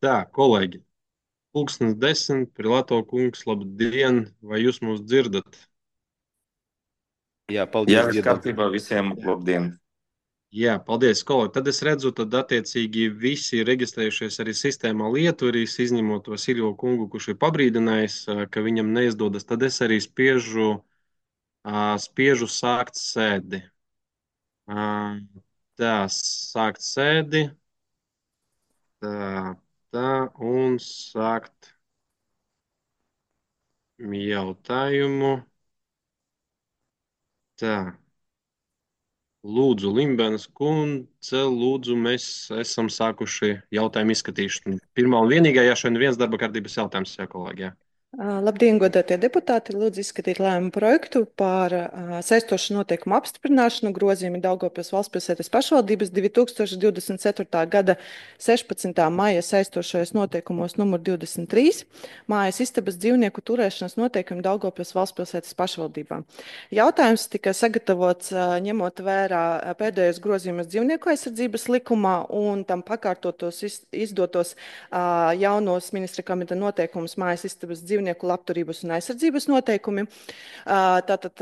Tā, kolēģi, pulkstens 10, Prilato kungs, labdien, vai jūs mūs dzirdat? Jā, Jā, paldies, viss dzirdam. kārtībā, visiem labdien! Jā, paldies, kolēģi. Tad es redzu, tad attiecīgi visi ir reģistrējušies arī sistēmā Lietuvīs, izņemot to Siljo kungu, kurš ir pabrīdinājis, ka viņam neizdodas. Tad es arī spiežu sākt sēdi. Ā, Tā, sākt sēdi, tā, tā, un sākt jautājumu. Tā. Lūdzu, Limbenes kundze, lūdzu, mēs esam sākuši jautājumu izskatīšanu. Pirmā un vienīgā, ja šodien viens darba kārtības jautājums, jā, kolēģi. Jā. Labdien, godātie deputāti! Lūdzu izskatīt lēmumu projektu par saistošu noteikumu apstiprināšanu grozījumi Daugavpils valstspilsētas pašvaldības 2024. gada 16. maija saistošajos noteikumos numur 23 mājas istabas dzīvnieku turēšanas noteikumi Daugavpils valstspilsētas pašvaldībā. Jautājums tika sagatavots ņemot vērā pēdējos grozījumus dzīvnieku aizsardzības likumā un tam pakārtotos izdotos jaunos ministra kabineta noteikumus mājas istabas dzīvnieku labturības un aizsardzības noteikumi. Tātad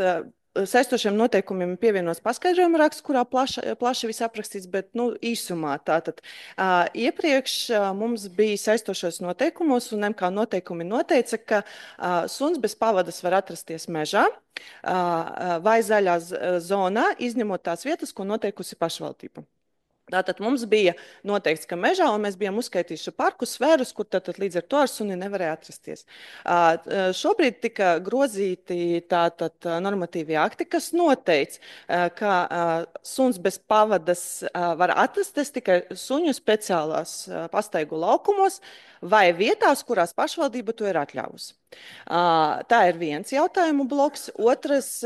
saistošiem noteikumiem pievienots paskaidrojuma raksts, kurā plaši viss aprakstīts, bet īsumā. Tātad iepriekš mums bija saistošos noteikumos, un MK noteikumi noteica, ka suns bez pavadas var atrasties mežā vai zaļā zonā, izņemot tās vietas, ko noteikusi pašvaldība. Tātad mums bija noteikts, ka mežā, un mēs bijām uzskaitījuši parku sfērus, kur tātad līdz ar to ar suni nevarēja atrasties. Šobrīd tika grozīti tātad normatīvie akti, kas noteic, ka suns bez pavadas var atrasties tikai suņu speciālās pastaigu laukumos vai vietās, kurās pašvaldība to ir atļāvusi. Tā ir viens jautājumu bloks. Otrs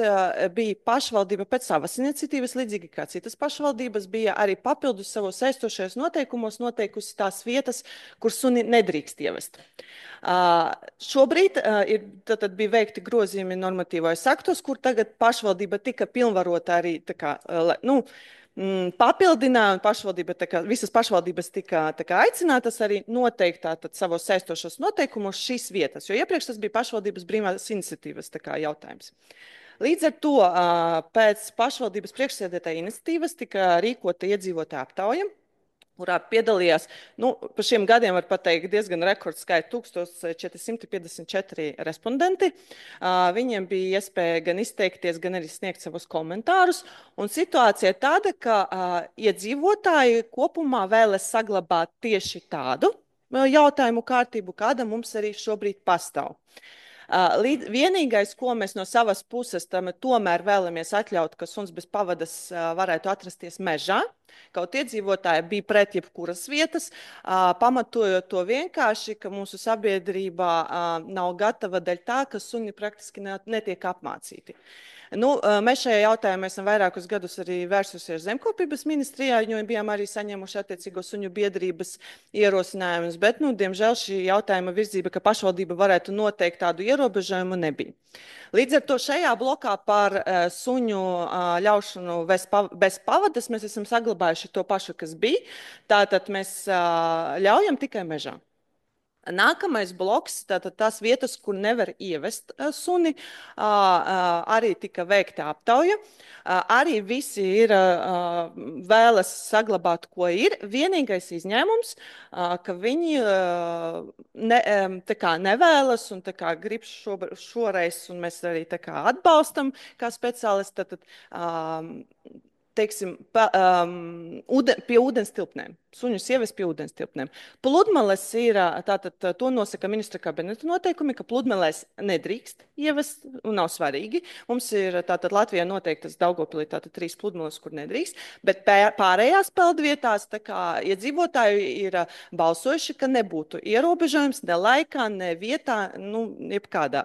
bija pašvaldība pēc savas iniciatīvas, līdzīgi kā citas pašvaldības, bija arī papildus savos saistošajos noteikumos noteikusi tās vietas, kur suni nedrīkst ievest. Šobrīd bija veikti grozījumi normatīvajos aktos, kur tagad pašvaldība tika pilnvarota arī papildināja, un visas pašvaldības tika aicinātas arī noteikt savos saistošos noteikumos šīs vietas, jo iepriekš tas bija pašvaldības brīvās iniciatīvas jautājums. Līdz ar to pēc pašvaldības priekšsēdētāja iniciatīvas tika rīkota iedzīvotāja aptauja, kurā piedalījās, pa šiem gadiem var pateikt diezgan rekordskaita 1454 respondenti. Viņiem bija iespēja gan izteikties, gan arī sniegt savus komentārus. Un situācija ir tāda, ka iedzīvotāji kopumā vēlas saglabāt tieši tādu jautājumu kārtību, kāda mums arī šobrīd pastāv. Vienīgais, ko mēs no savas puses tomēr vēlamies atļaut, ka suns bez pavadas varētu atrasties mežā, kaut iedzīvotāji bija pret jebkuras vietas, pamatojot to vienkārši, ka mūsu sabiedrībā nav gatava daļa tā, ka suņi praktiski netiek apmācīti. Mēs šajā jautājumā esam vairākus gadus arī vērsusies Zemkopības ministrijā, jo bijām arī saņēmuši attiecīgo suņu biedrības ierosinājumus, bet, diemžēl šī jautājuma virzība, ka pašvaldība varētu noteikt tādu ierobežojumu, nebija. Līdz ar to šajā blokā par suņu ļaušanu bez pavadas mēs esam saglabājuši to pašu, kas bija. Tātad mēs ļaujam tikai mežā. Nākamais bloks, tātad tās vietas, kur nevar ievest suni, arī tika veikta aptauja. Arī visi vēlas saglabāt, ko ir. Vienīgais izņēmums, ka viņi nevēlas un grib šoreiz, un mēs arī atbalstam kā speciālisti, teiksim, pie ūdens tilpnēm. Suņus ievest pie ūdens tilpnēm. Pludmales ir, to nosaka ministra kabineta noteikumi, ka pludmalēs nedrīkst ievest, un nav svarīgi. Mums ir Latvijā noteiktas Daugavpilī 3 pludmales, kur nedrīkst, bet pārējās peldvietās iedzīvotāji ir balsojuši, ka nebūtu ierobežojums ne laikā, ne vietā, jebkādā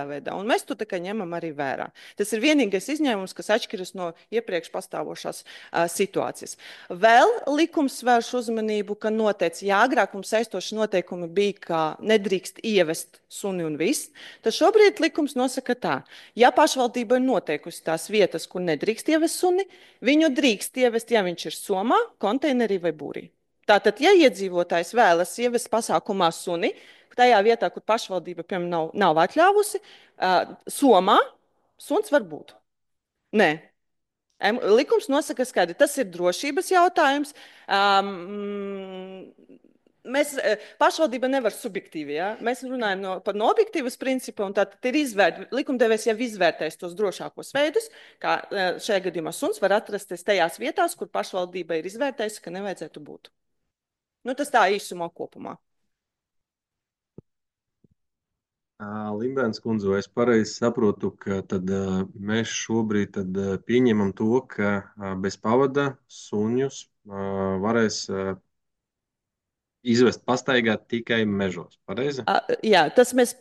veidā. Un mēs to ņemam arī vērā. Tas ir vienīgais izņēmums, kas atšķiras no iepriekš pastāvošās situācijas. Vēl likums vērš uzmanību, ka noteica, ja agrāk mums saistoši noteikumi bija, ka nedrīkst ievest suni un viss, tad šobrīd likums nosaka tā. Ja pašvaldība ir noteikusi tās vietas, kur nedrīkst ievest suni, viņu drīkst ievest, ja viņš ir somā, konteinerī vai būrī. Tātad, ja iedzīvotājs vēlas ievest pasākumā suni, tajā vietā, kur pašvaldība, piemēram, nav atļāvusi, somā suns var būt. Nē. Likums nosaka skaidri, tas ir drošības jautājums. Pašvaldība nevar subjektīvi, ja? Mēs runājam par objektīvas principu, un tātad likumdevējs jau izvērtēs tos drošākos veidus, kā šajā gadījumā suns var atrasties tajās vietās, kur pašvaldība ir izvērtējusi, ka nevajadzētu būt. Nu, tas tā īsumā kopumā. Limbēns kundze, vai es pareizi saprotu, ka tad mēs šobrīd pieņemam to, ka bez pavada suņus varēs izvest pastaigāt tikai mežos, pareizi? Jā, tas mēs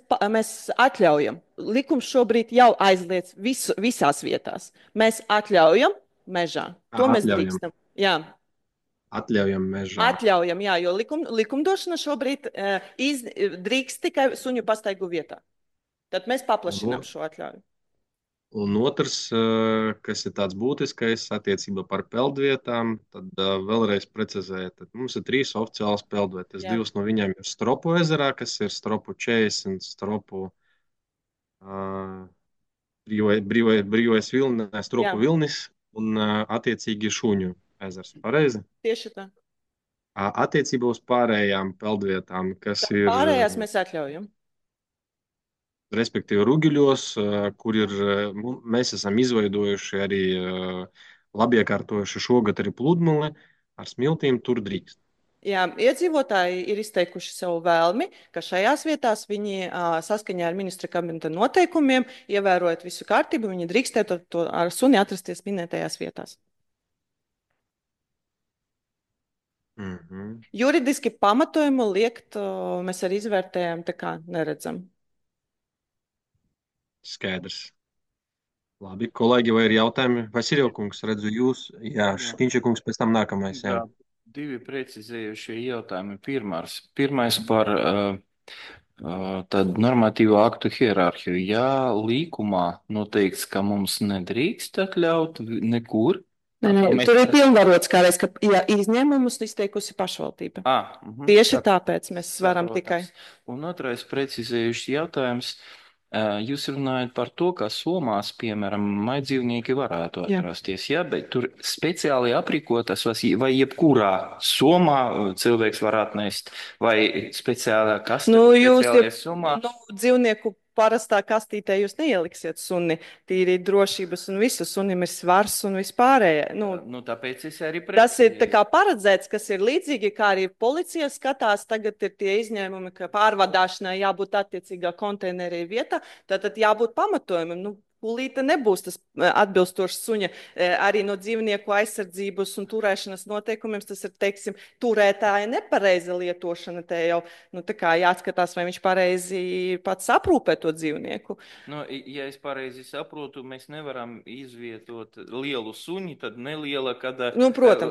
atļaujam. Likums šobrīd jau aizliedz visās vietās. Mēs atļaujam mežā. To mēs drīkstam. Jā. Atļaujam mežā. Atļaujam, jā, jo likumdošana šobrīd drīkst tikai suņu pastaigu vietā. Tad mēs paplašinām šo atļauju. Un otrs, kas ir tāds būtiskais attiecībā par peldvietām, tad vēlreiz precizēt, tad mums ir 3 oficiālas peldvietas. 2 no viņām ir Stropu ezerā, kas ir Stropu 40, Stropu brīvais vilnis, Stropu vilnis un attiecīgi Šuņu ezers. Pareizi? Tieši tā. Attiecībā uz pārējām peldvietām, kas ir... Pārējās mēs atļaujam. Respektīvi Rugiļos, kur mēs esam izveidojuši arī labi iekārtojuši šogad arī pludmali ar smiltīm, tur drīkst. Jā, iedzīvotāji ir izteikuši savu vēlmi, ka šajās vietās viņi saskaņā ar ministra kabineta noteikumiem, ievērojot visu kārtību, viņi drīkstētu ar suni atrasties minētajās vietās. Juridiski pamatojumu liekt, mēs arī izvērtējam, tā kā neredzam. Skaidrs. Labi, kolēģi, vai ir jautājumi? Vasiljev kungs, redzu jūs. Jā, Škiņša kungs, pēc tam nākamais. Jā. 2 precizējušie jautājumi. Pirmais par tādu normatīvo aktu hierarhiju. Jā, līkumā noteikts, ka mums nedrīkst atļaut nekur. Tur ir pilnvarots kādreiz, ka izņēmumus izteikusi pašvaldība. Tieši tāpēc mēs varam tikai. Un otrais precizējušs jautājums. Jūs runājat par to, ka somās, piemēram, maidzīvnieki varētu atrasties, jā, bet tur speciāli aprīkotas, vai jebkurā somā cilvēks var atnest, vai speciālā kastē, somā? Dzīvnieku parastā kastītē jūs neieliksiet suni, tīri drošības un visu, sunim ir svars un vispārējie. Tāpēc es arī tas ir tā kā paredzēts, kas ir līdzīgi, kā arī policija skatās, tagad ir tie izņēmumi, ka pārvadāšanai jābūt attiecīgā konteinerī vietā, tātad jābūt pamatojumam. Kulīte nebūs tas atbilstošs suņa arī no dzīvnieku aizsardzības un turēšanas noteikumiem. Tas ir, teiksim, turētāja nepareiza lietošana. Te jau tā kā jāatskatās, vai viņš pareizi pats aprūpē to dzīvnieku. Ja es pareizi saprotu, mēs nevaram izvietot lielu suņi, tad neliela, kad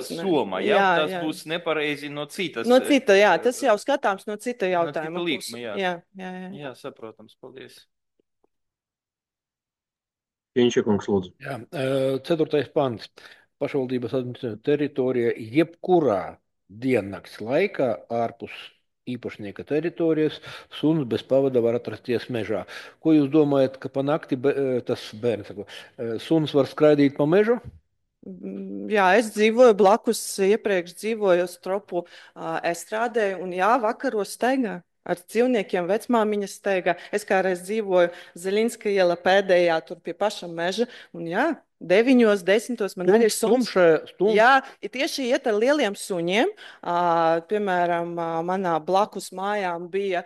soma. Tas būs nepareizi no citas. No cita, jā, tas jau skatāms no cita jautājuma. No cita līkuma, jā, saprotams, paldies. Pieņšiekungs, lūdzu. Jā, 4. pants. Pašvaldības administratīvā teritorija jebkurā diennakts laikā ārpus īpašnieka teritorijas suns bez pavada var atrasties mežā. Ko jūs domājat, ka pa nakti tas bērns saka, suns var skraidīt pa mežu? Jā, es dzīvoju blakus, iepriekš dzīvoju Stropu estrādē un jā, vakaros staigā. Ar dzīvniekiem vecmāmiņas steigā. Es kādreiz dzīvoju Zaļinska iela pēdējā, tur pie paša meža. Un jā, 9, 10 man arī ir suns. Jā, tieši iet ar lieliem suņiem. Piemēram, manā blakus mājām bija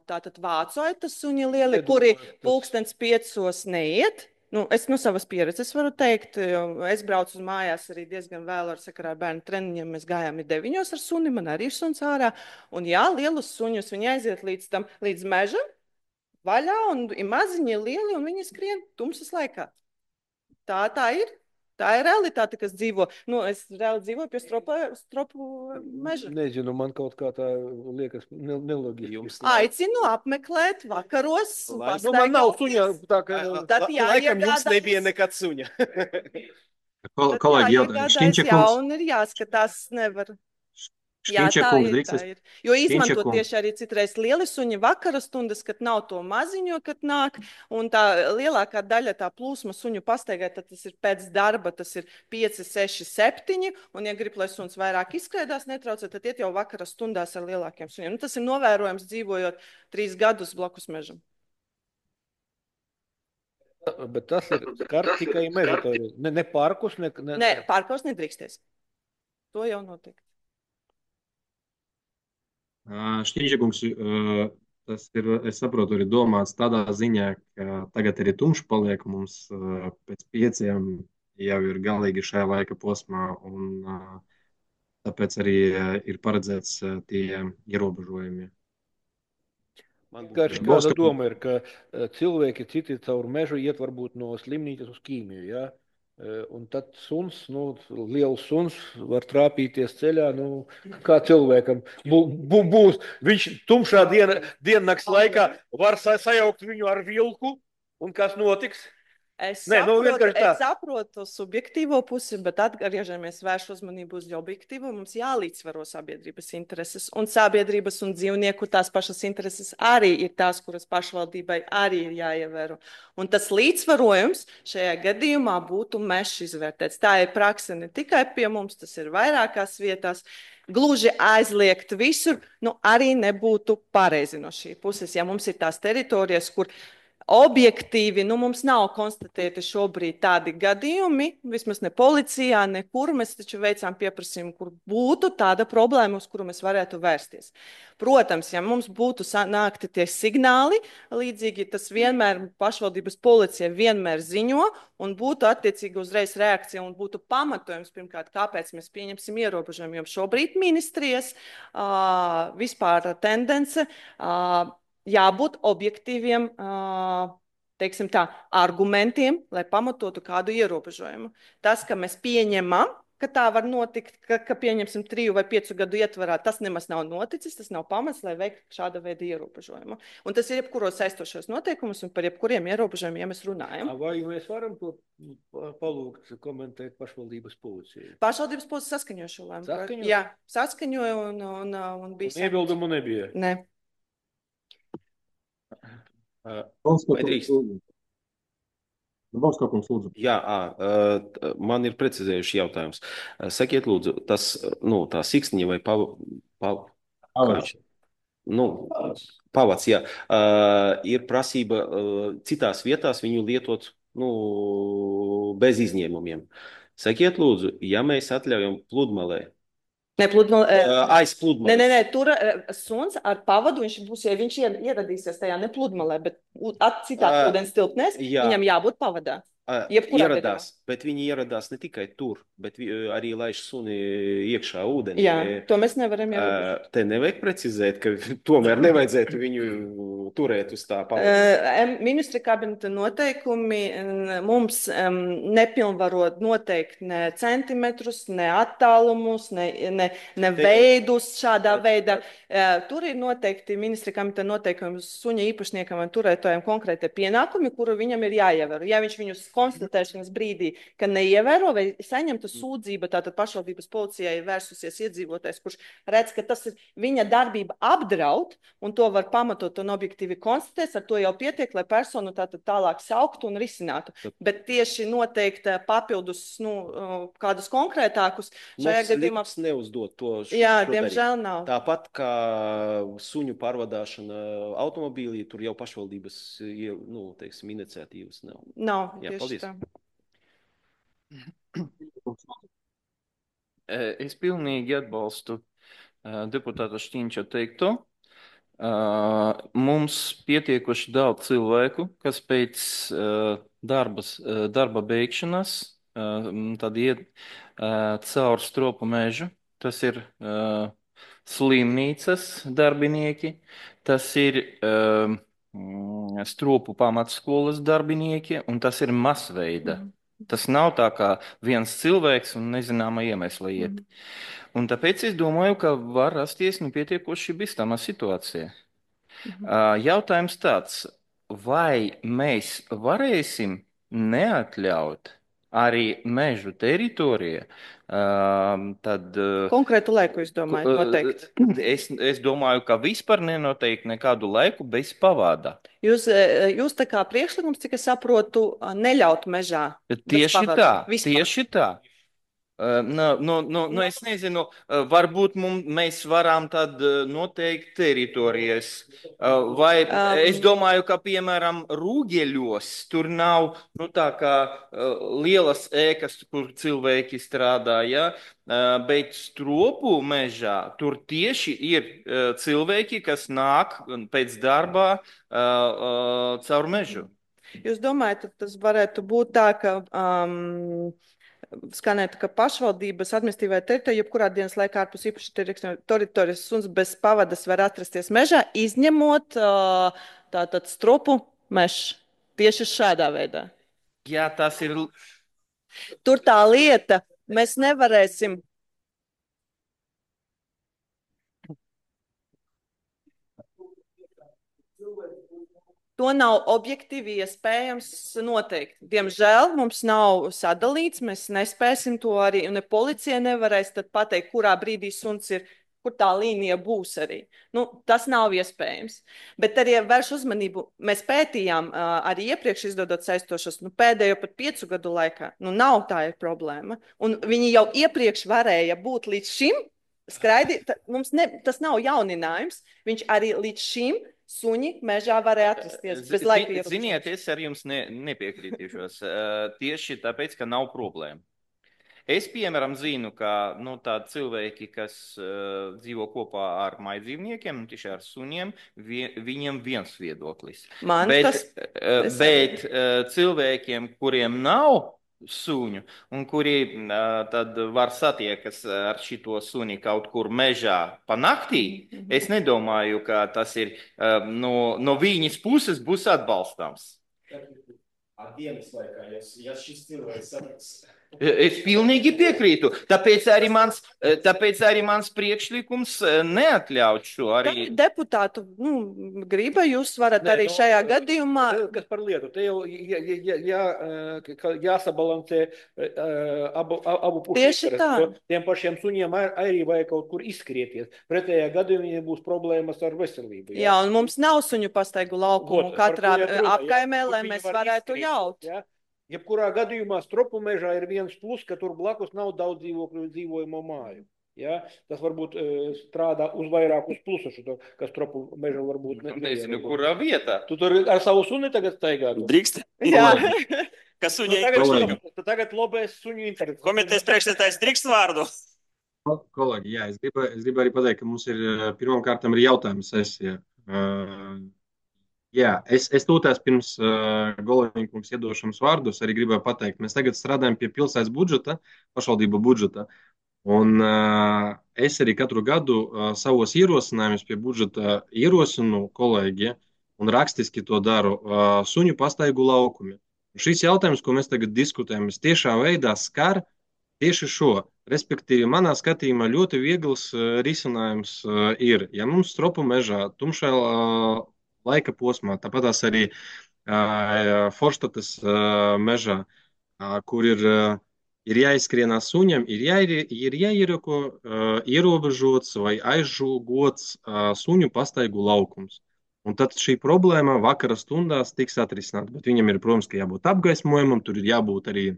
tātad vācoita suņi lieli, kuri pulkstens 5 neiet. Es no savas pieredzes varu teikt, es braucu uz mājās arī diezgan vēl ar sakarā ar bērnu treniņiem. Mēs gājām 9 ar suni, man arī ir suns ārā. Un jā, lielus suņus viņi aiziet līdz mežam, vaļā, un ir maziņi, lieli, un viņi skrien tumsas laikā. Tā ir. Tā ir realitāte, kas dzīvo. Es reāli dzīvoju pie Stropu meža. Nezinu, man kaut kā tā liekas neloģiski. Aicinu apmeklēt vakaros. Man nav suņa, tā kā laikam jums nebija nekad suņa. Kolēģi jautājums. Jauni ir jāskatās, nevar. Jā, Šķiņķa tā kungs, ir, drīkst tā es ir. Jo Šķiņķa izmanto kungs. tieši arī citreiz lieli suņi vakara stundas, kad nav to maziņo, kad nāk, un tā lielākā daļa tā plūsma suņu pastaigā, tad tas ir pēc darba, tas ir 5, 6, 7, un ja grib, lai suns vairāk izskrēdās, netraucē, tad iet jau vakara stundās ar lielākiem suņiem. Nu, tas ir novērojams dzīvojot 3 gadus blakus mežam. Bet tas ir skar tikai meža teritoriju. Ne parkus, Nē, parkos nedrīkstēs. To jau notiek. Šķiņķa kungs, tas ir, es saprotu, arī domāts tādā ziņā, ka tagad arī tumšs paliek, un mums pēc 5 jau ir galīgi šajā laika posmā, un tāpēc arī ir paredzēts tie ierobežojumi. Vienkārši kāda doma ir, ka cilvēki citi caur mežu iet varbūt no slimnīcas uz ķīmiju, ja? Un tad suns, liels suns var trāpīties ceļā, kā cilvēkam būs. Viņš tumšā diennakts laikā var sajaukt viņu ar vilku, un kas notiks? Es Nē, saprotu, vienkārši tā. es saprotu subjektīvo pusi, bet atgriežamies vēršu uzmanību uz objektīvo. Mums jālīdzsvaro sabiedrības intereses, un sabiedrības un dzīvnieku tās pašas intereses arī ir tās, kuras pašvaldībai arī ir jāievēro. Un tas līdzsvarojums šajā gadījumā būtu mežs izvērtēts. Tā ir prakse ne tikai pie mums, tas ir vairākās vietās. Gluži aizliegt visur, arī nebūtu pareizi no šī puses. Ja mums ir tās teritorijas, kur objektīvi, mums nav konstatēti šobrīd tādi gadījumi, vismaz ne policijā, nekur. Mēs taču veicām pieprasījumu, kur būtu tāda problēma, uz kuru mēs varētu vērsties. Protams, ja mums būtu nākti tie signāli, līdzīgi tas vienmēr pašvaldības policija vienmēr ziņo, un būtu attiecīgi uzreiz reakcija, un būtu pamatojums, pirmkārt, kāpēc mēs pieņemsim ierobežojumu, jo šobrīd ministrijas vispār tendence jābūt objektīviem, teiksim tā, argumentiem, lai pamatotu kādu ierobežojumu. Tas, ka mēs pieņemam, ka tā var notikt, ka pieņemsim 3 vai 5 gadu ietvarā, tas nemaz nav noticis, tas nav pamats, lai veiktu šāda veida ierobežojumu. Un tas ir jebkuros saistošos noteikumus, un par jebkuriem ierobežojumiem, ja mēs runājam. Vai mēs varam to palūgt komentēt pašvaldības policijai? Pašvaldības policija saskaņoja šo lēmumu. Jā, saskaņoja un bija. Iebildumu nebija? Ne. Jā, man ir precizējuši jautājums. Sakiet, lūdzu, tā siksniņa vai pavads, jā, ir prasība citās vietās viņu lietot bez izņēmumiem. Sakiet, lūdzu, ja mēs atļaujam pludmalē, aiz pludmales. Nē, tur suns ar pavadu, viņš ieradīsies tajā ne pludmalē, bet citās ūdens tilpnēs, viņam jābūt pavadā. Ieradās, bet viņi ieradās ne tikai tur, bet arī laiž suni iekšā ūdenī. Jā, to mēs nevaram ierobežot. Te nevajag precizēt, ka tomēr nevajadzētu viņu turēt uz tā pavada. Ministra kabineta noteikumi mums nepilnvaro noteikt ne centimetrus, ne attālumus, ne veidus šādā veidā. Tur ir noteikti ministra kabineta noteikumi suņa īpašniekam un turētājiem konkrēti pienākumi, kuru viņam ir jāievēro. Ja viņš viņus konstatēšanas brīdī, ka neievēro vai saņemta sūdzība, tātad pašvaldības policijai ir vērsusies iedzīvotājs, kurš redz, ka tas ir viņa darbība apdraud, un to var pamatot un objektīvi konstatēt, ar to jau pietiek, lai personu tātad tālāk sauktu un risinātu. Bet tieši noteikti papildus, kādus konkrētākus šajā gadījumā neuzdot to. Jā, diemžēl nav. Tāpat kā suņu pārvadāšana automobīlī, tur jau pašvaldības, teiksim, iniciatīvas nav. Nav, jā, tieši paldies. tā. Es pilnīgi atbalstu deputāta Šķiņča teikto. Mums pietiekuši daudz cilvēku, kas pēc darba beigšanas tad iet caur stropu mežu. Tas ir slimnīcas darbinieki, tas ir stropu pamatskolas darbinieki, un tas ir masveida. Tas nav tā kā viens cilvēks un nezināma iemesla iet. Un tāpēc es domāju, ka var rasties pietiekoši bīstama situācija. Jautājums tāds, vai mēs varēsim neatļaut arī mežu teritorija, tad Konkrētu laiku, es domāju, noteikti. es domāju, ka vispār nenoteikti nekādu laiku bez pavada. Jūs tā kā priekšlikums, cik es saprotu, neļaut mežā. Tieši tā, tieši tā. Es nezinu, varbūt mēs varam tad noteikt teritorijas, vai es domāju, ka, piemēram, Rūgeļos tur nav, tā kā lielas ēkas, kur cilvēki strādā, ja? Bet Stropu mežā tur tieši ir cilvēki, kas nāk pēc darbā caur mežu. Jūs domājat, tas varētu būt tā, ka skanētu, ka pašvaldības administratīvā teritorija, jebkurā dienas laikā ārpus īpaši teritorijas suns bez pavadas var atrasties mežā, izņemot tātad Stropu mežu. Tieši šādā veidā. Jā, tas ir. Tur tā lieta, mēs nevarēsim. To nav objektīvi iespējams noteikt. Diemžēl mums nav sadalīts, mēs nespēsim to arī, un policija nevarēs tad pateikt, kurā brīdī suns ir, kur tā līnija būs arī. Tas nav iespējams. Bet arī vērš uzmanību, mēs pētījām arī iepriekš izdodot saistošos, pēdējo pat 5 gadu laikā. Nav tā ir problēma. Un viņi jau iepriekš varēja būt līdz šim skraidi, tas nav jauninājums, viņš arī līdz šim suņi mežā varēja atrasties bez laika ierobežojuma. Ziniet, es ar jums nepiekrītīšos. Tieši tāpēc, ka nav problēma. Es, piemēram, zinu, ka tādi cilvēki, kas dzīvo kopā ar maidzīvniekiem, tieši ar suņiem, viņiem viens viedoklis. Bet cilvēkiem, kuriem nav suņu, un kuri tad var satiekas ar šito suni kaut kur mežā pa naktī, es nedomāju, ka tas ir no viņas puses būs atbalstāms. Dienas laikā, ja šis cilvēks sapras. Es pilnīgi piekrītu. Tāpēc arī mans priekšlikums neatļauj šo arī. Deputātu griba, jūs varat arī šajā gadījumā. Kas par lietu? Te jau jāsabalansē abu pušu. Tieši tā. Tiem pašiem suņiem arī vajag kaut kur izskrieties. Pretējā gadījumā būs problēmas ar veselību. Jā, un mums nav suņu pastaigu laukumu katrā apkaimē, lai mēs varētu ļaut. Ja? Jebkurā gadījumā Stropu mežā ir viens plus, ka tur blakus nav daudz dzīvojamo māju. Ja? Tas varbūt strādā uz vairākus plusus, ka Stropu mežā varbūt nezinu, kurā vietā. Tu tur ar savu suni tagad staigā? Drīkst? Jā. Kas suņai tagad lobēs suņu intereses. Komitejas priekšsēdētājs drīkst vārdu? Kolēģi, jā, es gribu arī pateikt, ka mums ir pirmkārt ir jautājuma sesija. Jā, es tūtās pirms Goloņkungs iedošanas vārdus arī gribēju pateikt, mēs tagad strādājam pie pilsētas budžeta, pašvaldību budžeta, un es arī katru gadu savos ierosinājumus pie budžeta ierosinu kolēģi, un rakstiski to daru suņu pastaigu laukumi. Un šis jautājums, ko mēs tagad diskutējam, tiešā veidā skar tieši šo. Respektīvi, manā skatījumā ļoti viegls risinājums ir, ja mums Stropu mežā, tumšā laika posmā, tāpat arī Forštatas mežā, kur ir jāizskrienās suņam, ir jāieroko ierobežots vai aizžogots suņu pastaigu laukums. Un tad šī problēma vakara stundās tiks atrisināta, bet viņam ir, protams, ka jābūt apgaismojumam, tur ir jābūt arī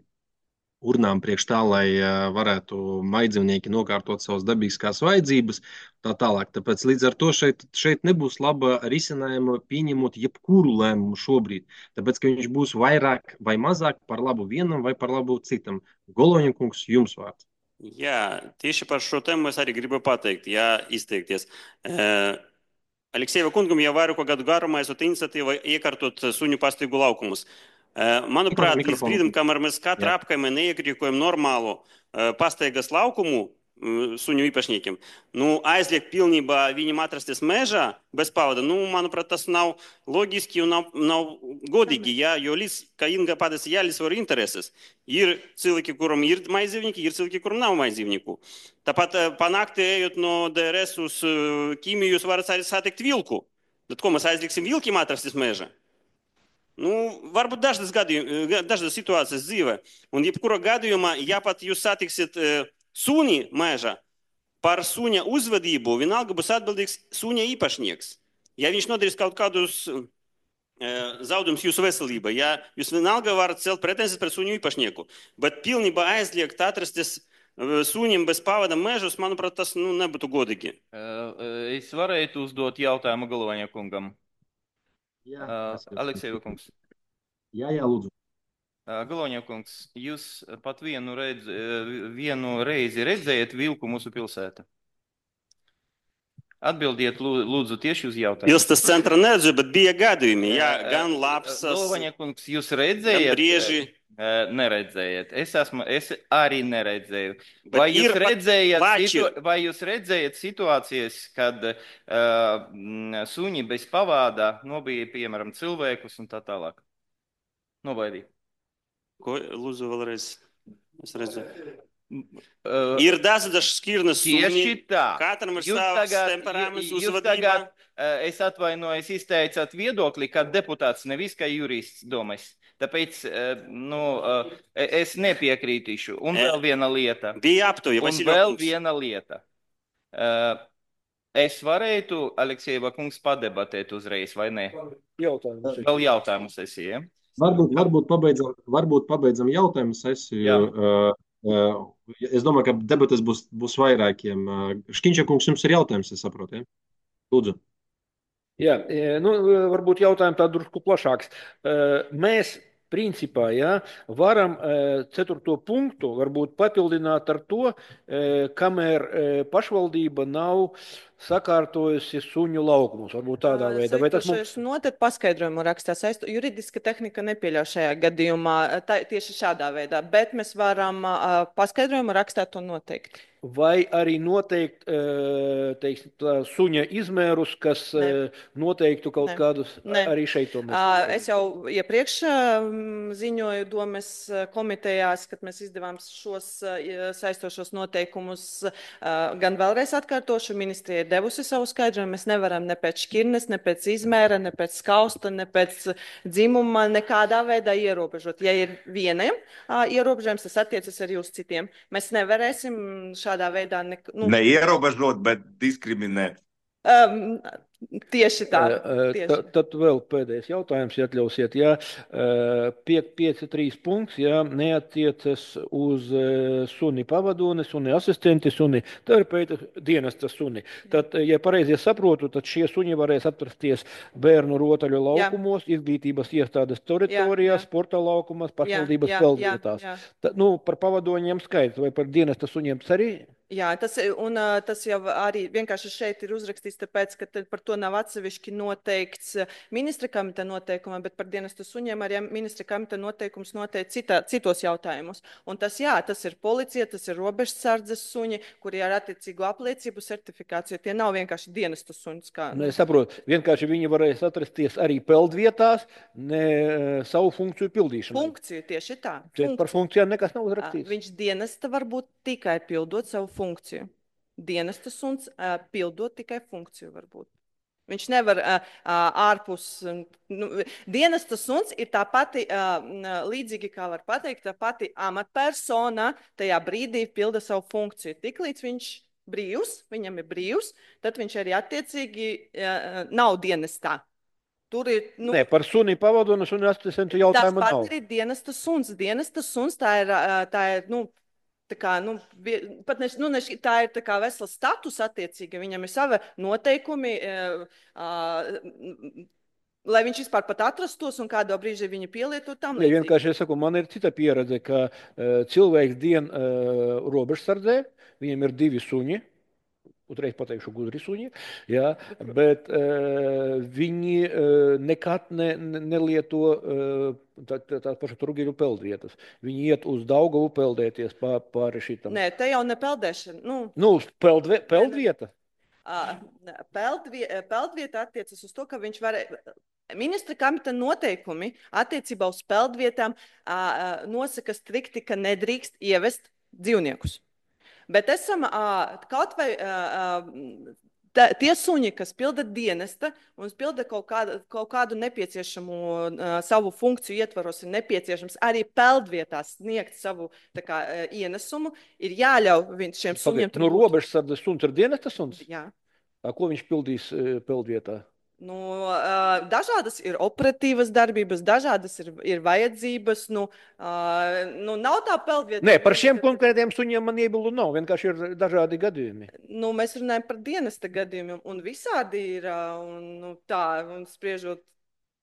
urnām priekš tā, lai varētu maidzīvnieki nokārtot savas dabīgās vajadzības, tā tālāk. Tāpēc līdz ar to šeit nebūs laba risinājuma pieņemot jebkuru lēmumu šobrīd. Tāpēc, ka viņš būs vairāk vai mazāk par labu vienam vai par labu citam. Goloņkungs, jums vārds. Jā, tieši par šo tēmu es arī gribu pateikt, izteikties. Aleksejeva kungam jau vairāku gadu garumā esot iniciatīva iekārtot suņu pastaigu laukumus. Manuprāt, līdz brīdim, kamēr mēs katra apkaimē neiekļūkojam normālu pastaigas laukumu suņu īpašniekiem, aizliegt pilnībā viņam atrasties mežā bez pavada, manuprāt, tas nav loģiski un nav godīgi, jo līdz, kā Inga pateica, jālīdzsver intereses. Ir cilvēki, kuram ir maidzīvnieki, ir cilvēki, kuram nav maidzīvnieku. Tāpat panākti ejot no DRS uz ķīmiju, jūs varat arī satikt vilku. Bet ko mēs aizlieksim vilkiem atrasties mežā? Nu, varbūt dažas situācijas dzīvē. Un jebkurā gadījumā, ja pat jūs satiksiet suni mežā, par suņa uzvedību vienalga būs atbildīgs suņa īpašnieks. Ja viņš nodarīs kaut kādus zaudums jūsu veselībai, ja jūs vienalga varat celt pretenzijas pret suņu īpašnieku, bet pilnībā aizliegt atrasties suņiem bez pavada mežus, manuprāt, tas nebūtu godīgi. Es varētu uzdot jautājumu Galoņa kungam. Jā, Aleksejeva kungs. Jā, lūdzu. Galoņa kungs, jūs pat vienu reizi redzējat vilku mūsu pilsētā? Atbildiet, lūdzu, tieši uz jautājumu. Pilsētas centra neredzu, bet bija gadījumi. Jā, gan Lapsas, Galoņa kungs, jūs redzējat? gan Brieži. Neredzējat. Es arī neredzēju. Vai jūs redzējat situācijas, kad suņi bez pavādā nobija, piemēram, cilvēkus un tā tālāk? Nobaidīja. Ko, lūdzu, vēlreiz? Es redzu. Ir dažas šķirnes suņi. Tieši tā. Katram ir savs temperaments, uzvedība. Es atvainojos, izteicāt viedokli, kā deputāts, nevis kā jurists domās. Tāpēc es nepiekrītīšu. Un vēl viena lieta. Bija aptuja, Es varētu, Aleksejeva kungs, padebatēt uzreiz, vai ne? Vēl jautājumu sesija. Varbūt pabeidzam jautājumu sesiju. Es domāju, ka debates būs vairākiem. Škiņša kungs, jums ir jautājums, es saprotu, ja? Lūdzu. Jā, varbūt jautājumi tā drusku plašāks. Mēs principā varam 4. punktu varbūt papildināt ar to, kamēr pašvaldība nav sakārtojusi suņu laukumus. Varbūt tādā veidā. Vai tas mums... Noteikti paskaidrojumu rakstās. Juridiska tehnika nepieļauj šajā gadījumā tieši šādā veidā, bet mēs varam paskaidrojumu rakstāt to noteikt. Vai arī noteikt suņa izmērus, kas noteiktu kaut kādus arī šeit to mēs. Es jau iepriekš ziņoju domes komitejās, kad mēs izdevām šos saistošos noteikumus, gan vēlreiz atkārtošu, ministrija ir devusi savu skaidrojumu. Mēs nevaram ne pēc šķirnes, ne pēc izmēra, ne pēc skausta, ne pēc dzimuma nekādā veidā ierobežot. Ja ir vieniem ierobežojums, tas attiecas arī uz citiem. Mēs nevarēsim šādā veidā neierobežot, bet diskriminēt. Tieši tā. Tad vēl pēdējais jautājums, ja atļausiet. 5.3 punkts, neatiecas uz suni pavadoni, suni asistenti, suni terapeita, dienesta suni. Tad, ja pareizi saprotu, tad šie suņi varēs atrasties bērnu rotaļu laukumos, izglītības iestādes teritorijās, sporta laukumos, pašvaldības peldvietās. Par pavadoņiem skaidrs, vai par dienesta suņiem tas arī? Jā, tas jau arī vienkārši šeit ir uzrakstīts, tāpēc, ka par to nav atsevišķi noteikts ministra komiteja noteikumā, bet par dienestu suņiem arī ministra komiteja noteikums noteikti citos jautājumus. Un tas ir policija, tas ir robežsardzes suņi, kuri ar attiecīgu apliecību certifikāciju. Tie nav vienkārši dienestu suņus. Es saprotu, vienkārši viņi varēs atrasties arī peldvietās, ne savu funkciju pildīšanu. Funkciju, tieši tā. Par funkcijām nekas nav uzrakstīts. Viņš dienesta varbūt tikai pildot savu funkciju. Dienesta suns pildot tikai funkciju varbūt. Viņš nevar ārpus... Dienesta suns ir tā pati, līdzīgi kā var pateikt, tā pati amatpersona tajā brīdī pilda savu funkciju. Tiklīdz viņš brīvs, viņam ir brīvs, tad viņš arī attiecīgi nav dienestā. Tur ir... par suni pavadonu, suni asistentu jautājumu nav. Tas pat ir dienesta suns. Dienesta suns tā ir tā kā, tā ir tā kā vesela status attiecīga, viņam ir sava noteikumi, lai viņš vispār pat atrastos un kādā brīžī viņu pielietot tam līdzīgi. Vienkārši es saku, man ir cita pieredze, ka cilvēks dien robežsardzē, viņam ir 2 suņi, uzreiz pateikšu gudri suņi, bet viņi nekad nelieto tā paša Turgīļu peldvietas. Viņi iet uz Daugavu peldēties pāri šitam. Nē, te jau ne peldēšana. Peldvieta? Peldvieta attiecas uz to, ka viņš var... Ministra komiteja noteikumi attiecībā uz peldvietām nosaka strikti, ka nedrīkst ievest dzīvniekus. Bet esam kaut vai Tie suņi, kas pilda dienesta un pilda kaut kādu nepieciešamu savu funkciju ietvaros, ir nepieciešams arī peldvietās sniegt savu kā, ienesumu, ir jāļauj šiem suņiem tur No būt. robežsardas suns ir dienesta suns? Jā. Ko viņš pildīs peldvietā? Nu, dažādas ir operatīvas darbības, dažādas ir vajadzības. Nav tā peldvieta. Nē, par šiem konkrētiem suņiem man iebildu nav. Vienkārši ir dažādi gadījumi. Mēs runājam par dienesta gadījumiem, un visādi ir. Un spriežot,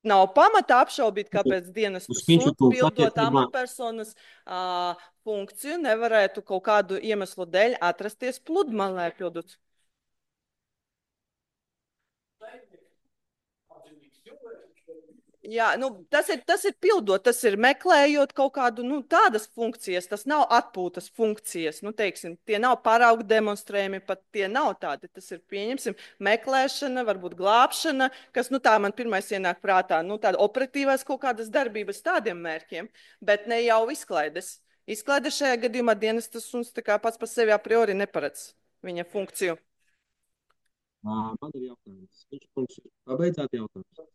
nav pamata apšaubīt, kāpēc dienesta suns pildot amatpersonas funkciju nevarētu kaut kādu iemeslu dēļ atrasties pludmalē pildot. Jā, tas ir pildot, tas ir meklējot kaut kādu tādas funkcijas, tas nav atpūtas funkcijas, teiksim, tie nav paraugu demonstrējumi, pat tie nav tādi, tas ir, pieņemsim, meklēšana, varbūt glābšana, kas, tā man pirmais ienāk prātā, tāda operatīvās kaut kādas darbības tādiem mērķiem, bet ne jau izklaides. Izklaides šajā gadījumā dienestas suns tā kā pats par sevi a priori neparedz viņa funkciju. Man ir jautājums. Viņš pabeidzāt jautājums?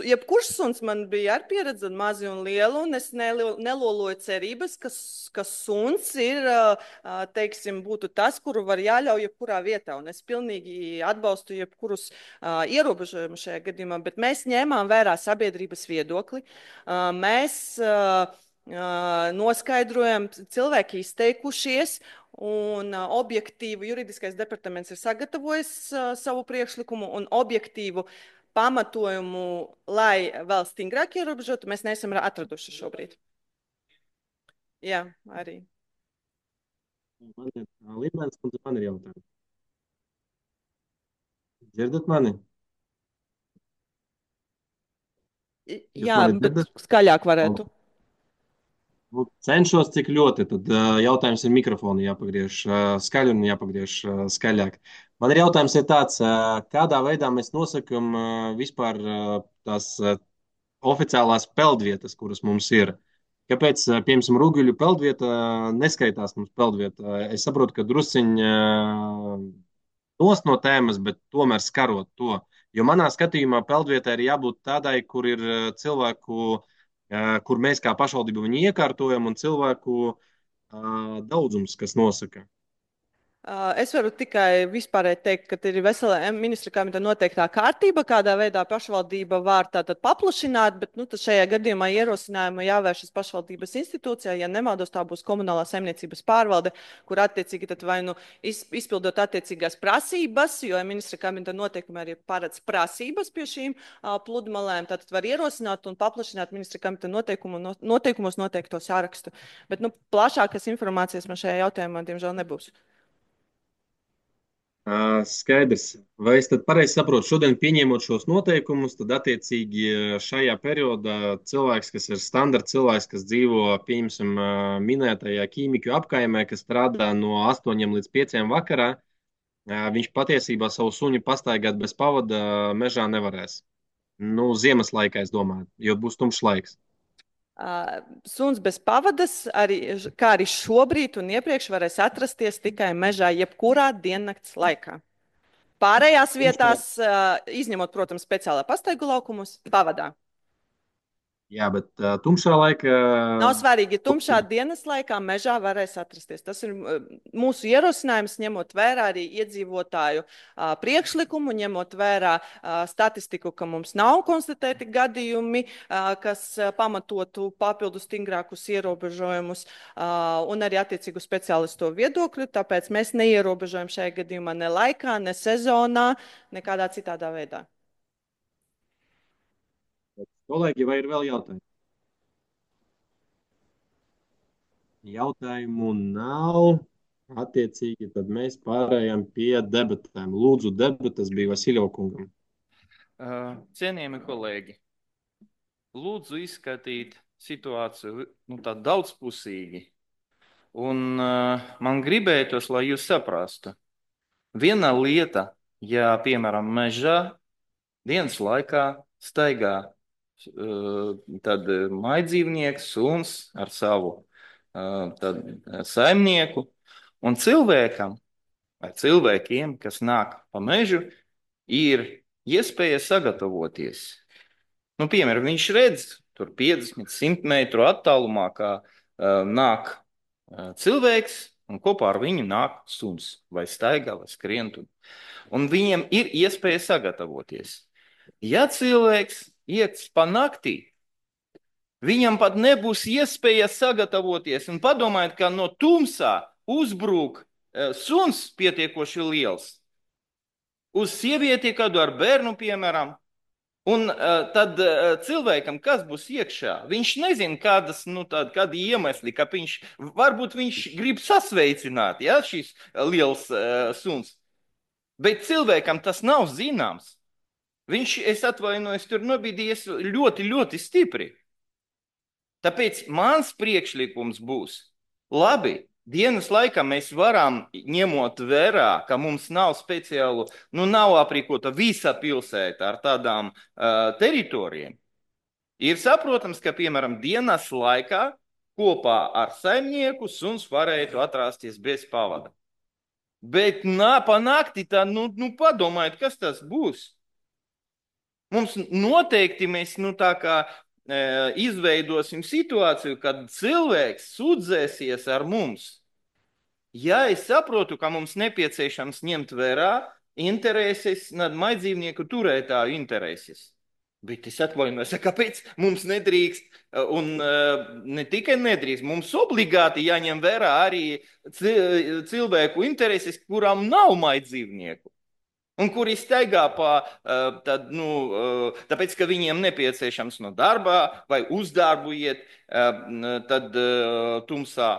Jebkurš suns man bija ar pieredzi mazi un lielu, un es neloloju cerības, ka suns ir, teiksim, būtu tas, kuru var jāļauj jebkurā vietā, un es pilnīgi atbalstu jebkurus ierobežojumus šajā gadījumā, bet mēs ņēmām vērā sabiedrības viedokli, mēs noskaidrojam, cilvēki izteikušies, un objektīvu juridiskais departaments ir sagatavojis savu priekšlikumu un objektīvu pamatojumu, lai vēl stingrāk ierobežotu, mēs neesam atraduši šobrīd. Jā, arī. Līmenis, kundze, man ir jautājums. Dzirdat mani? Jā, bet skaļāk varētu. Cenšos, cik ļoti. Tad jautājums ir mikrofonu jāpagriež skaļi un jāpagriež skaļāk. Man ir jautājums tāds, kādā veidā mēs nosakam vispār tās oficiālās peldvietas, kuras mums ir. Kāpēc, piemēram, Rūguļu peldvieta neskaitās mums peldvieta? Es saprotu, ka drusciņi nost no tēmas, bet tomēr skarot to. Jo manā skatījumā peldvietai ir jābūt tādai, kur ir cilvēku, kur mēs kā pašvaldība viņu iekārtojam, un cilvēku daudzums, kas nosaka. Es varu tikai vispārēji teikt, ka ir vesela ministra kabineta noteiktā kārtība, kādā veidā pašvaldība var tātad paplašināt, bet šajā gadījumā ierosinājuma jāvēršas pašvaldības institūcijā. Ja nemaldos, tā būs komunālā saimniecības pārvalde, kur attiecīgi tad vai izpildot attiecīgās prasības, jo ministra kabineta noteikumi arī paredz prasības pie šīm pludmalēm, tātad var ierosināt un paplašināt ministra kabineta noteikumos noteikto sārakstu. Bet plašākas informācijas man šajā jautājumā, diemžēl, nebūs. Skaidrs. Vai es tad pareizi saprotu, šodien pieņemot šos noteikumus, tad attiecīgi šajā periodā cilvēks, kas ir standarta cilvēks, kas dzīvo, pieņemsim, minētajā ķīmiku apkaimē, kas strādā no 8 līdz 5 vakarā, viņš patiesībā savu suņu pastaigāt bez pavada mežā nevarēs. Ziemas laikā, es domāju, jo būs tumšs laiks. Suns bez pavadas, kā arī šobrīd un iepriekš, varēs atrasties tikai mežā jebkurā diennakts laikā. Pārējās vietās, izņemot, protams, speciālā pastaigu laukumus, pavadā. Jā, bet tumšā laikā... Nav svarīgi, tumšā dienas laikā mežā varēs atrasties. Tas ir mūsu ierosinājums, ņemot vērā arī iedzīvotāju priekšlikumu, ņemot vērā statistiku, ka mums nav konstatēti gadījumi, kas pamatotu papildu stingrākus ierobežojumus un arī attiecīgu speciālistu viedokļu. Tāpēc mēs neierobežojam šajā gadījumā ne laikā, ne sezonā, nekādā citādā veidā. Kolēģi, vai ir vēl jautājumi? Jautājumu nav. Attiecīgi, tad mēs pārējām pie debatēm. Lūdzu, debatas bija Vasiljev kungam. Cienījami kolēģi, lūdzu izskatīt situāciju tā daudzpusīgi. Un man gribētos, lai jūs saprastu. Viena lieta, ja, piemēram, mežā dienas laikā staigā tad maidzīvnieks, suns ar savu tad saimnieku un cilvēkam vai cilvēkiem, kas nāk pa mežu, ir iespēja sagatavoties. Nu, piemēram, viņš redz tur 50, 100 metru attālumā, kā nāk cilvēks, un kopā ar viņu nāk suns, vai staigā, vai skrien. Un viņiem ir iespēja sagatavoties. Ja cilvēks iet pa naktī, viņam pat nebūs iespēja sagatavoties. Un padomājiet, ka no tumsā uzbrūk suns pietiekoši liels. Uz sievieti kādu ar bērnu, piemēram. Un tad cilvēkam, kas būs iekšā, viņš nezina, kādi iemesli, ka varbūt viņš grib sasveicināt, ja, šis liels suns. Bet cilvēkam tas nav zināms. Viņš, es atvainojos, tur nobīdījies ļoti, ļoti stipri. Tāpēc mans priekšlikums būs, labi, dienas laikā mēs varam, ņemot vērā, ka mums nav speciālu, nav aprīkota visa pilsēta ar tādām teritorijām. Ir saprotams, ka, piemēram, dienas laikā kopā ar saimnieku suns varētu atrasties bez pavada. Bet pa nakti tā, padomājiet, kas tas būs. Mums noteikti mēs, tā kā izveidosim situāciju, kad cilvēks sūdzēsies ar mums. Ja es saprotu, ka mums nepieciešams ņemt vērā intereses, maidzīvnieku turētāju intereses. Bet es atvainojos, kāpēc mums nedrīkst, un ne tikai nedrīkst, mums obligāti jāņem vērā arī cilvēku intereses, kurām nav maidzīvnieku. Un kuri staigā tāpēc, ka viņiem nepieciešams no darbā vai uz darbu iet, tad tumsā.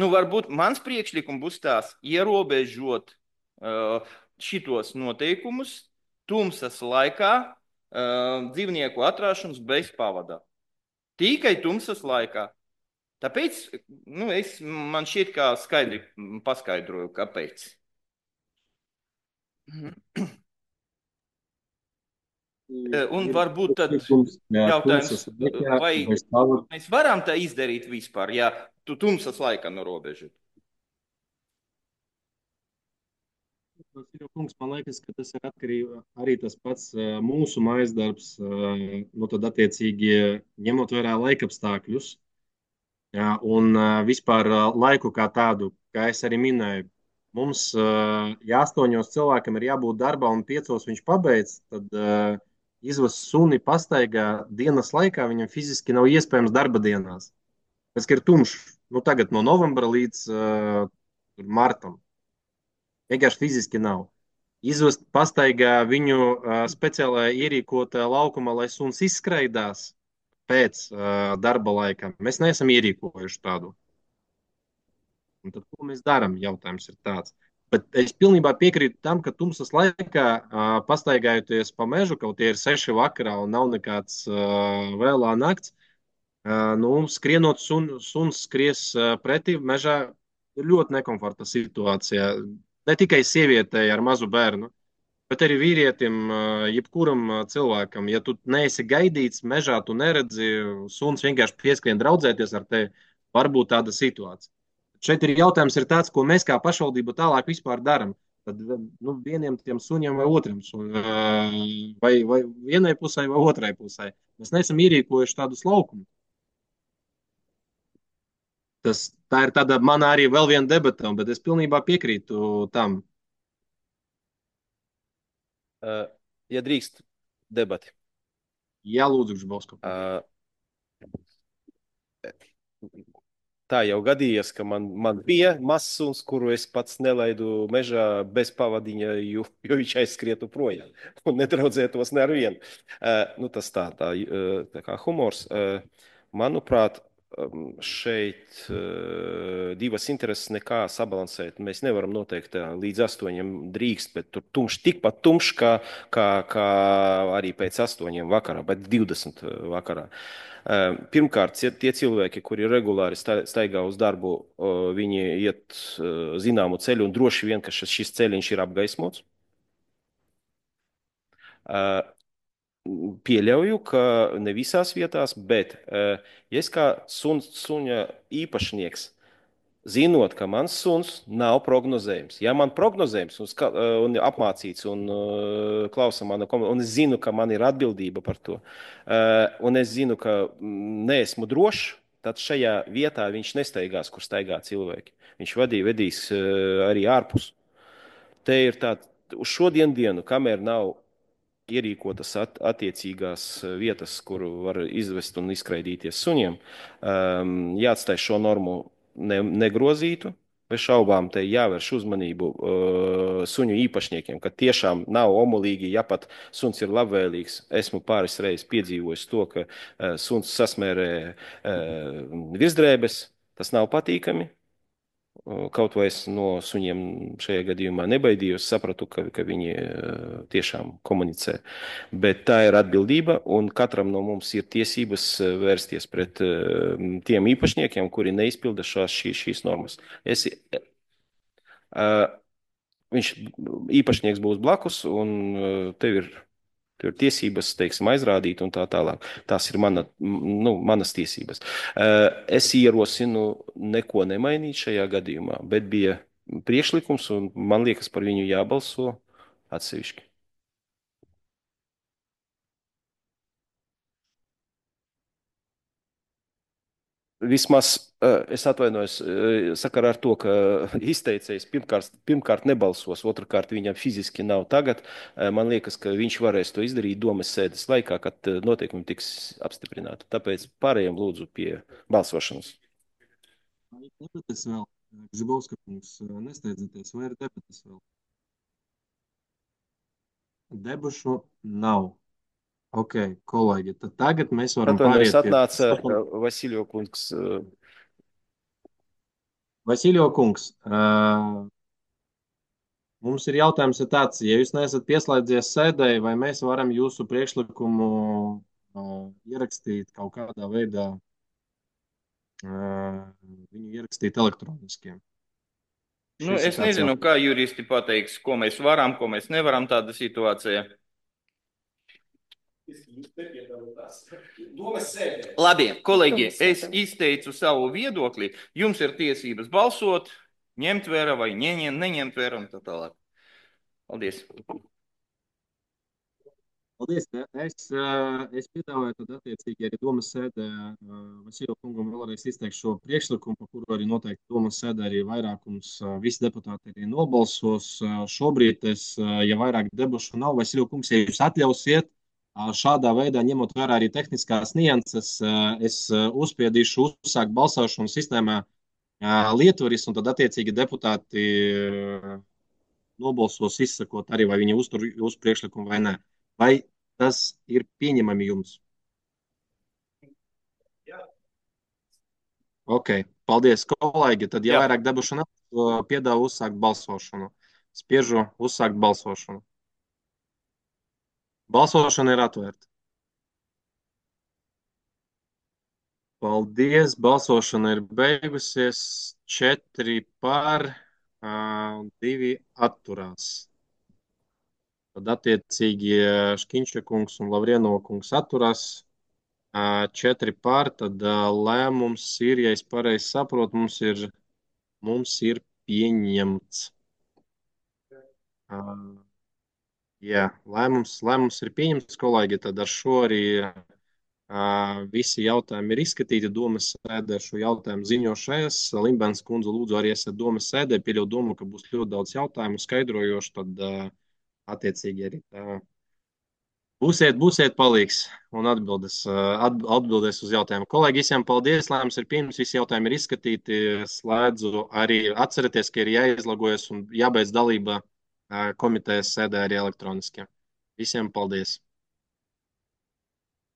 Varbūt mans priekšlikums būs tās ierobežot šitos noteikumus tumsas laikā dzīvnieku atrāšanas bez pavada. Tikai tumsas laikā. Tāpēc man šķiet, kā skaidri paskaidroju, kāpēc. Un varbūt tad jautājums, vai mēs varam tā izdarīt vispār, ja tu tumsas laikā norobežot? Kungs, man liekas, ka tas ir atkarīgi arī tas pats mūsu mājasdarbs, tad attiecīgi ņemot vērā laikapstākļus un vispār laiku kā tādu, kā es arī minēju. Mums, ja 8 cilvēkam ir jābūt darbā un 5 viņš pabeidz, tad izvest suni pastaigā dienas laikā viņam fiziski nav iespējams darba dienās. Pēc, ka ir tumšs, tagad no novembra līdz martam. Vienkārši fiziski nav. Izvest pastaigā viņu speciālā ierīkotā laukumā, lai suns izskraidās pēc darba laika. Mēs neesam ierīkojuši tādu. Un tad, ko mēs darām? Jautājums ir tāds. Bet es pilnībā piekrītu tam, ka tumsas laikā, pastaigājoties pa mežu, kaut tie ir 6 vakarā un nav nekāds vēlā nakts, skrienot suns skries pretī mežā ir ļoti nekomforta situācija. Ne tikai sievietei ar mazu bērnu, bet arī vīrietim, jebkuram cilvēkam. Ja tu neesi gaidīts mežā, tu neredzi, suns vienkārši pieskrien draudzēties ar tevi, varbūt tāda situācija. Šeit ir jautājums tāds, ko mēs kā pašvaldība tālāk vispār darām. Tad vieniem tiem suņiem vai otram, vai vienai pusē vai otrai pusē. Mēs neesam ierīkojuši tādus laukumus. Tā ir tāda mana arī vēl viena debata, bet es pilnībā piekrītu tam. Ja drīkst debati. Jā, lūdzu, Žbausko. Tā jau gadījās, ka man bija mazs suns, kuru es pats nelaidu mežā bez pavadiņa, jo viņš aizskrietu projām un nedraudzētos ne ar vienu. Tas tā kā humors. Manuprāt, šeit divas intereses nekā sabalansēt. Mēs nevaram noteikt līdz 8 drīkst, bet tur tikpat tumšs, kā arī pēc 8 vakarā, bet 20 vakarā. Pirmkārt, tie cilvēki, kuri regulāri staigā uz darbu, viņi iet zināmu ceļu un droši vien, ka šis ceļiņš ir apgaismots. pieļauju, ka ne visās vietās, bet ja es kā suņa īpašnieks, zinot, ka mans suns nav prognozējums. Ja man prognozējums un apmācīts un klausa mana komanda, un es zinu, ka man ir atbildība par to, un es zinu, ka neesmu drošs, tad šajā vietā viņš nestaigās, kur staigā cilvēki. Viņš vedīs arī ārpus. Te ir tā, uz šodien dienu, kamēr nav ierīkotas attiecīgās vietas, kur var izvest un izskraidīties suņiem, jāatstāj šo normu negrozītu. Bez šaubām te jāvērš uzmanību suņu īpašniekiem, ka tiešām nav omulīgi, ja pat suns ir labvēlīgs. Esmu pāris reizes piedzīvojis to, ka suns sasmērē virsdrēbes, tas nav patīkami. Kaut vai es no suņiem šajā gadījumā nebaidījos, sapratu, ka viņi tiešām komunicē. Bet tā ir atbildība, un katram no mums ir tiesības vērsties pret tiem īpašniekiem, kuri neizpilda šīs normas. Viņš īpašnieks būs blakus, un tev ir tiesības, teiksim, aizrādīt un tā tālāk. Tās ir manas tiesības. Es ierosinu neko nemainīt šajā gadījumā, bet bija priekšlikums, un man liekas, par viņu jābalso atsevišķi. Vismaz es atvainojos sakarā ar to, ka izteicējs pirmkārt nebalsos, otrkārt viņam fiziski nav tagad. Man liekas, ka viņš varēs to izdarīt domas sēdes laikā, kad noteikumi tiks apstiprināti. Tāpēc pārējiem lūdzu pie balsošanas. Vai ir debates vēl? Žibovska kungs, nesteidzieties, vai ir debates vēl? Debašu nav. Ok, kolēģi, tad tagad mēs varam pāriet pie... Atnāca Vasiljo kungs. Vasiljo kungs, mums ir jautājums tāds, ja jūs neesat pieslēdzies sēdēji, vai mēs varam jūsu priekšlikumu ierakstīt kaut kādā veidā, viņu ierakstīt elektroniski? Es nezinu, kā juristi pateiks, ko mēs varam, ko mēs nevaram tāda situācija. Labi, kolēģi, es izteicu savu viedokli. Jums ir tiesības balsot, ņemt vērā vai neņemt vērā un tā tālāk. Paldies. Paldies. Es piedāvāju tad attiecīgi arī domas sēdē Vasiljo kungam vēlreiz izteikt šo priekšlikumu, par kuru arī noteikti domas sēdē arī vairākums visi deputāti arī nobalsos. Šobrīd ja vairāk debašu nav, Vasiljo kungs, ja jūs atļausiet, šādā veidā, ņemot vērā arī tehniskās nianses, es uzspiedīšu uzsākt balsošanu sistēmā lietvaris, un tad attiecīgi deputāti nobalsos izsakot arī, vai viņi uztur jūsu priekšlikumu vai nē. Vai tas ir pieņemami jums? Jā. Ok, paldies, kolēģi. Tad, ja vairāk debašu nav, piedāvu uzsākt balsošanu. Spiežu uzsākt balsošanu. Balsošana ir atvērta. Paldies, balsošana ir beigusies. 4 par, 2 atturās. Tad attiecīgi Škiņša kungs un Lavrienova kungs atturās. 4 par, tad lēmums ir, ja es pareizi saprotu, mums ir pieņemts. Jā, lēmums ir pieņemts, kolēģi, tad ar šo arī visi jautājumi ir izskatīti. Domas sēdē šo jautājumu ziņošais. Limbēns kundze, lūdzu, arī esat domas sēdē. Pieļauju domu, ka būs ļoti daudz jautājumu skaidrojoši, tad attiecīgi arī tā. Būsiet palīgs un atbildēs uz jautājumu. Kolēģi, visiem paldies, lēmums ir pieņemts, visi jautājumi ir izskatīti. Slēdzu arī atcerieties, ka ir jāizlogojas un jābeidz dalība komitejas sēdē arī elektroniski. Visiem paldies!